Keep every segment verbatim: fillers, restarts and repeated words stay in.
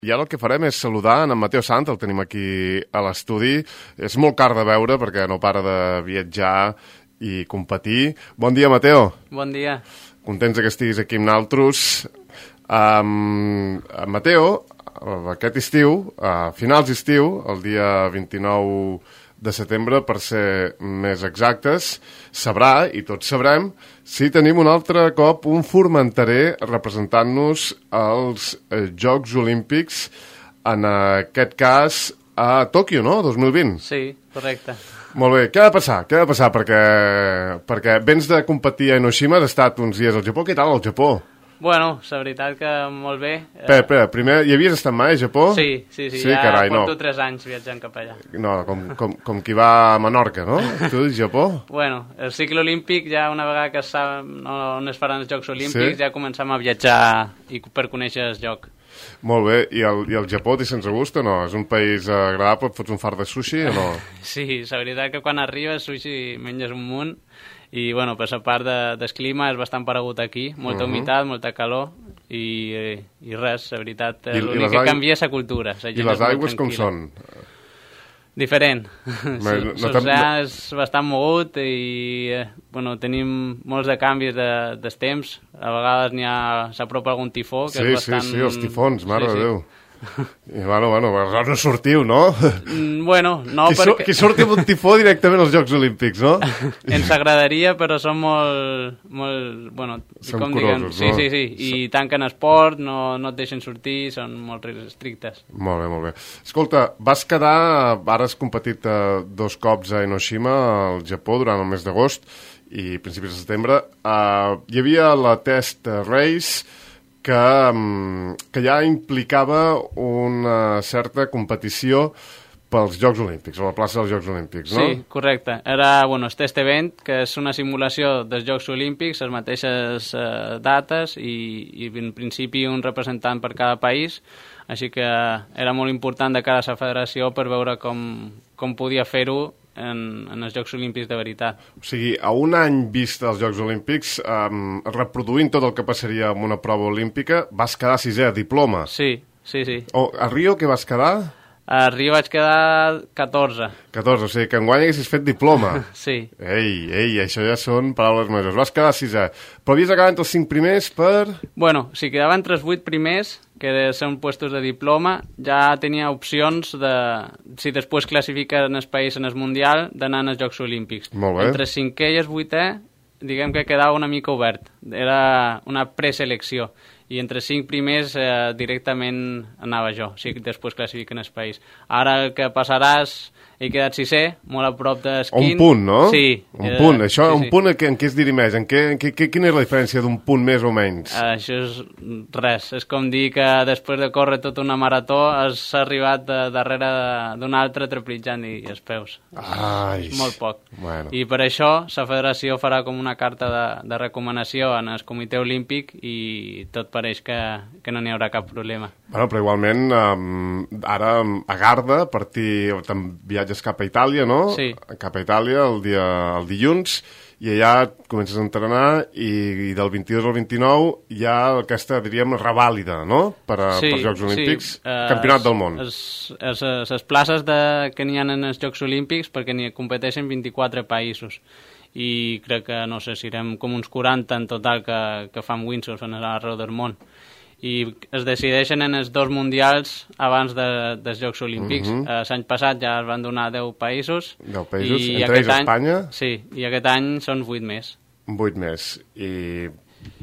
I ara el que farem és saludar en Mateo Sant, el tenim aquí a l'estudi. És molt car de veure perquè no para de viatjar i competir. Bon dia, Mateo. Bon dia. Contents que estiguis aquí amb nosaltres. Um, Mateo, aquest estiu, a finals d'estiu, el dia vint-i-nou de setembre, per ser més exactes, sabrà, i tots sabrem, si tenim un altre cop un formenterer representant-nos als Jocs Olímpics, en aquest cas a Tòquio, no? dos mil vint. Sí, correcte. Molt bé, què ha de passar? Què ha de passar? Perquè, perquè vens de competir a Hiroshima, has estat uns dies al Japó. Què tal al Japó? Bueno, la veritat que molt bé. Espera, espera, primer, hi havies estat mai a Japó? Sí, sí, sí, sí ja carai, porto no. tres anys viatjant cap allà. No, com, com, com qui va a Menorca, no? Tu, Japó? Bueno, el cicle olímpic, ja una vegada que sap on es faran els Jocs Olímpics, Sí? ja comencem a viatjar i per conèixer el lloc. Molt bé, i el, i el Japó t'hi sents a gust o no? És un país agradable, et fots un fart de sushi o no? Sí, la veritat que quan arribes sushi menges un munt i, bueno, per la part de, del clima és bastant paregut aquí, molta Mhm. humitat, molta calor i, i res, la veritat, I- i l'únic les que aigües- canvia és la cultura. La I gent les és molt aigües com tranquil·la. són? Diferent. no Sí, t'hem- l'oceà és bastant mogut i eh, bueno, tenim molts de canvis de, dels temps. A vegades n'hi ha, s'apropa algun tifó, que Sí, és bastant... sí, sí, els tifons, mare Sí, de sí. Déu. I, bueno, bueno, aleshores no sortiu, no? Mm, Bueno, no, qui, perquè sur, qui surti amb un tifó directament als Jocs Olímpics, no? ens agradaria, però són molt... molt bueno, Són com diguem, curosos, sí, no? sí, sí, i tanquen esport, no, no et deixen sortir, són molt estrictes. Molt bé, molt bé. Escolta, vas quedar, ara has competit eh, dos cops a Hiroshima, al Japó, durant el mes d'agost i principis de setembre. Uh, hi havia la Test Race, que, um, que ja implicava una certa competició pels Jocs Olímpics, a la plaça dels Jocs Olímpics, no? Sí, correcte. Era, bueno, el test event, que és una simulació dels Jocs Olímpics, les mateixes eh, dates i, i en principi un representant per cada país, així que era molt important de cara a la federació per veure com, com podia fer-ho en, en els Jocs Olímpics de veritat. O sigui, a un any vista als Jocs Olímpics, um, reproduint tot el que passaria amb una prova olímpica, vas quedar sisè, diploma. Sí, sí, sí. O, a Rio, què vas quedar? A Rio vaig quedar catorze. catorze, o sigui, que enguany haguessis fet diploma. Sí. Ei, ei, això ja són paraules majors. Vas quedar sisè, però havies acabat entre els cinc primers per... Bueno, si quedava entre els vuit primers, que són puestos de diploma, ja tenia opcions de, si després classifica en el país en el Mundial, d'anar als Jocs Olímpics. Molt bé. Entre el cinquè i el vuitè, diguem que quedava una mica obert. Era una preselecció. I entre cinc primers eh, directament anava jo, si després classifiquen el país. Ara el que passarà és, he quedat sisè, molt a prop d'esquin. Un punt, no? Sí. Un eh, punt, això, sí, un sí. punt en què, en què es dirimeix? En què, en què, què, quina és la diferència d'un punt més o menys? Uh, això és res, és com dir que després de córrer tota una marató has arribat de, darrere d'un altre trepitjant i els peus. Ai, És molt poc. Bueno. I per això la federació farà com una carta de, de recomanació en el comitè olímpic i tot pareix que, que no n'hi haurà cap problema. Bueno, però igualment, um, ara um, a Garda, a partir, te'n viatges cap a Itàlia, no? Sí. Cap a Itàlia el, dia, el dilluns, i allà comences a entrenar i, i del vint-i-dos al vint-i-nou hi ha aquesta, diríem, revàlida, no? Per a, Sí, pels Jocs Olímpics, sí. Eh, Campionat del món. Les places de, que n'hi ha en els Jocs Olímpics, perquè n'hi competeixen vint-i-quatre països. I crec que, no sé, si serem com uns quaranta en total que, que fan windsurf arreu del món. I es decideixen en els dos mundials abans de, dels Jocs Olímpics. Mhm. eh, L'any passat ja es van donar deu països. deu països, i entre aquest ells any- Espanya. Sí, i aquest any són vuit més. Vuit més. I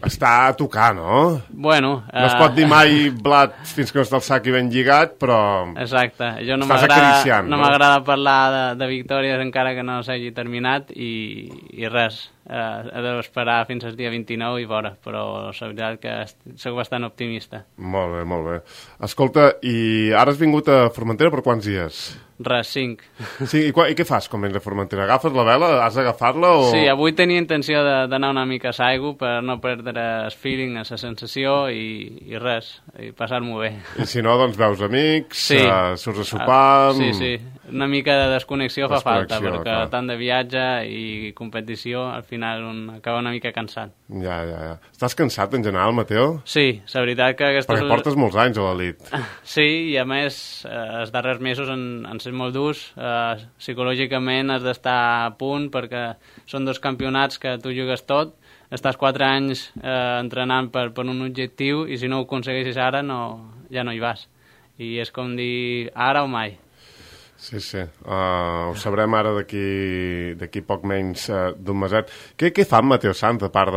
està a tocar, no? Bueno... No es eh, pot dir mai blat fins que no està el sac i ben lligat, però... Exacte. Jo no Estàs m'agrada acariciant, no no? m'agrada parlar de, de victòries encara que no s'hagi terminat i, i res. Eh, he d'esperar fins al dia vint-i-nou i veure, però la veritat que est- soc bastant optimista. Molt bé, molt bé. Escolta, i ara has vingut a Formentera per quants dies? Res, cinc. Sí, i, qua, i què fas quan vens a Formentera? Agafes la vela? Has d'agafar-la o...? Sí, avui tenia intenció de- d'anar una mica a Saigo per no perdre el feeling, la sensació i, i res, i passar-m'ho bé. I si no, doncs veus amics, Sí. uh, surts a sopar... Ah, sí, sí. una mica de desconnexió fa falta, perquè clar. tant de viatge i competició, al final un acaba una mica cansat. Ja, ja, ja. Estàs cansat en general, Mateo? Sí, la veritat que aquestes... Perquè portes molts anys a l'elit. Sí, i a més, eh, els darrers mesos han, han set molt durs. Eh, psicològicament has d'estar a punt, perquè són dos campionats que tu jugues tot, estàs quatre anys eh, entrenant per, per un objectiu, i si no ho aconsegueixes ara, no, ja no hi vas. I és com dir, ara o mai. Sí, sí. Uh, ho sabrem ara d'aquí d'aquí poc menys uh, d'un meset. Què, què fa en Mateo Sanz, a part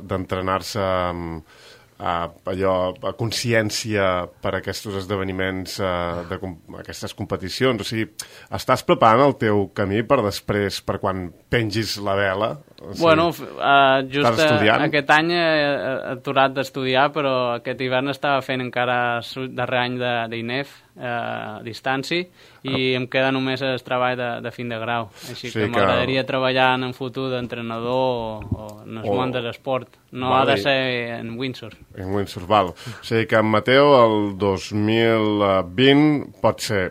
d'entrenar-se de, uh, allò, a consciència per a aquests esdeveniments, uh, de com, aquestes competicions? O sigui, estàs preparant el teu camí per després, per quan pengis la vela? O sigui, bueno, uh, just aquest any he aturat d'estudiar, però aquest hivern estava fent encara el darrer any d'I N E F, uh, a distància, i oh. em queda només el treball de, de fin de grau. Així sí, que m'agradaria que... treballar en un futur d'entrenador o, o en el oh. món de l'esport. No vale. Ha de ser en windsurf. En windsurf, val. O sigui que en Mateo el dos mil vint pot ser,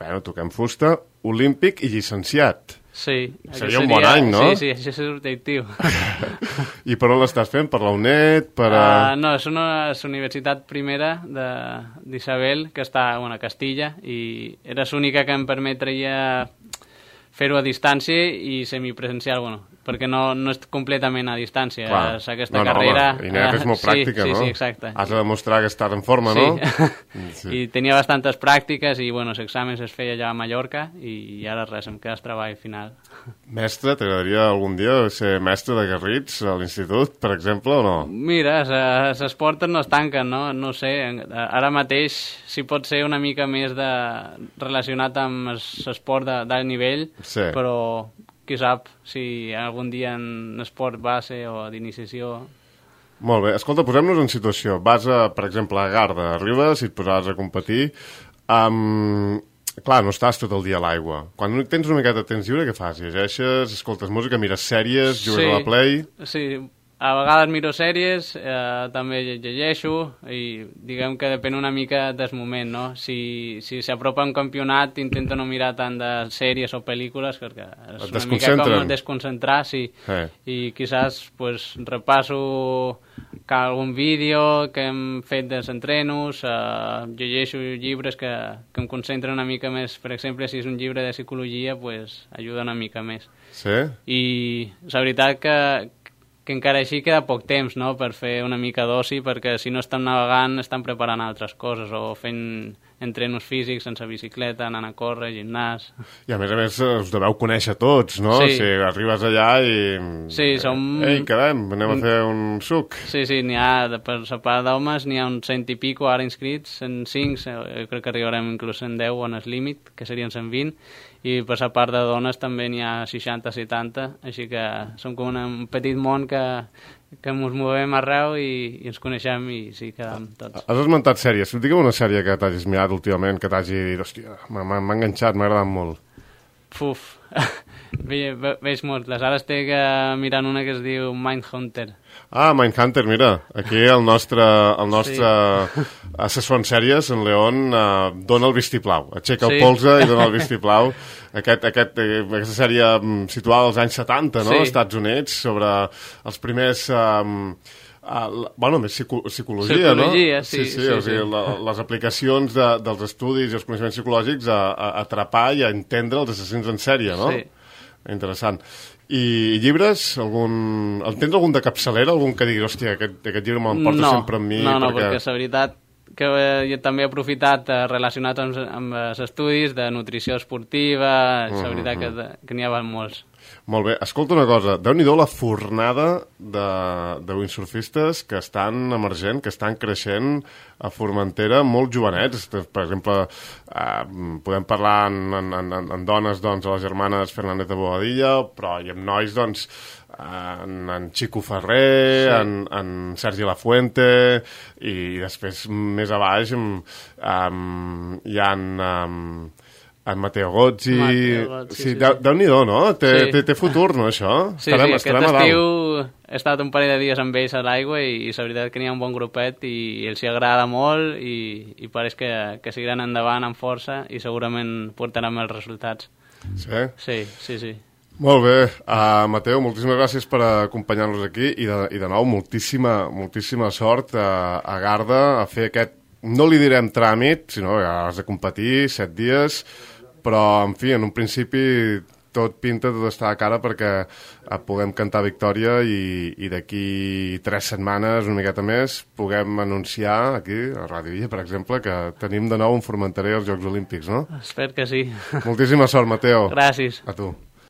bueno, toquem fusta, olímpic i llicenciat. Sí. Seria un bon any, no? Sí, sí, això és l'objectiu. I per on l'estàs fent? Per la U N E D? Per a... uh, no, és una és universitat primera d'Isabel, que està bueno, a Castilla, i era l'única que em permetria fer-ho a distància i semipresencial, bueno, perquè no, no és completament a distància. Clar. És aquesta no, no, carrera... I I N E F és molt sí, pràctica, sí, no? Sí, exacte. Has de demostrar que estàs en forma, sí. no? Sí. I tenia bastantes pràctiques i, bueno, els exàmens es feia allà a Mallorca i ara res, em queda el treball final. Mestre, t'agradaria algun dia ser mestre de Garrits a l'institut, per exemple, o no? Mira, les portes no es tanquen, no? No sé, ara mateix si pot ser una mica més de relacionat amb l'esport d'alt nivell, sí. Però qui sap si algun dia en esport base o d'iniciació... Molt bé. Escolta, posem-nos en situació. Vas, a, per exemple, a Garda, arribes i et posaràs a competir. Um, clar, no estàs tot el dia a l'aigua. Quan tens una miqueta de temps lliure, què fas? Llegeixes, escoltes música, mires sèries, jugues sí, a la Play... Sí, a vegades miro sèries, eh, també llegeixo i diguem que depèn una mica del moment, no? Si si s'apropa un campionat intento no mirar tant de sèries o pel·lícules perquè és una mica com desconcentrar, sí. Eh. I quizás pues, repasso algun vídeo que hem fet dels entrenos, eh, llegeixo llibres que, que em concentren una mica més. Per exemple, si és un llibre de psicologia, pues, ajuda una mica més. Sí? I la veritat que que encara així queda poc temps, no?, per fer una mica d'oci, perquè si no estan navegant estan preparant altres coses o fent entrenos físics sense bicicleta, anant a córrer, gimnàs... I a més a més us deveu conèixer tots, no? Sí. Si arribes allà i... Sí, som... Ei, quedem, anem a fer un suc. Sí, sí, n'hi ha, per la part d'homes n'hi ha uns cent i pico ara inscrits, en cinc, jo crec que arribarem inclús en deu on és límit, que serien cent vint, i per la part de dones també n'hi ha seixanta setanta, així que som com una, un petit món que, que ens movem arreu i, i ens coneixem i sí, quedem tots. Has esmentat sèries. Digue'm una sèrie que t'hagis mirat últimament, que t'hagi dit, hòstia, m'ha enganxat, m'ha agradat molt. Puf, Ve, ve, veig moltes. Ara estic uh, mirant una que es diu Mindhunter. Ah, Mindhunter, mira, aquí el nostre, el nostre sí. assessor en sèries, en León, uh, dona el vistiplau, aixeca sí. el polze i dona el vistiplau. Aquest, aquest, aquesta sèrie situada als anys setanta, no?, als sí. Estats Units, sobre els primers... Um, Uh, bueno, més psico psicologia, psicologia, no? sí. Sí, sí, sí, o sigui, sí. La, les aplicacions de, dels estudis i els coneixements psicològics a, a atrapar i a entendre els assassins en sèrie, no? Sí. Interessant. I llibres? Algun... En tens algun de capçalera? Algun que digui, hòstia, aquest, aquest llibre m'emporta no, sempre amb mi? No, no, perquè, perquè la veritat que eh, jo també he aprofitat eh, relacionat amb, amb els estudis de nutrició esportiva, la uh -huh. veritat que, que n'hi ha molts. Molt bé. Escolta una cosa, déu-n'hi-do la fornada de, de windsurfistes que estan emergent, que estan creixent a Formentera, molt jovenets. Per exemple, eh, podem parlar en, en, en, en dones, doncs, a les germanes Fernández de Bobadilla, però i amb nois, doncs, en, en Chico Ferrer, sí. en, en Sergi Lafuente, i després més a baix um, um, hi ha um, En Matteo Gozzi... Matteo Gozzi, sí, sí, Déu- sí. Déu-n'hi-do, no? Té, Sí. té, té futur, no, això? Sí, estarem, sí, estarem aquest a dalt. estiu he estat un parell de dies amb ells a l'aigua i, i la veritat que n'hi ha un bon grupet i els hi agrada molt i, i pareix que, que seguiran endavant amb força i segurament portaran els resultats. Sí? Sí, sí, sí. Molt bé. Uh, Mateu, moltíssimes gràcies per acompanyar-nos aquí i de, i de nou moltíssima, moltíssima sort a, a Garda a fer aquest, no li direm tràmit, sinó que has de competir set dies, però, en fi, en un principi tot pinta, tot està a cara perquè puguem cantar victòria i, i d'aquí tres setmanes, una miqueta més, puguem anunciar aquí, a Ràdio Illa, per exemple, que tenim de nou un Formenterer als Jocs Olímpics, no? Espero que sí. Moltíssima sort, Mateu. Gràcies. A tu.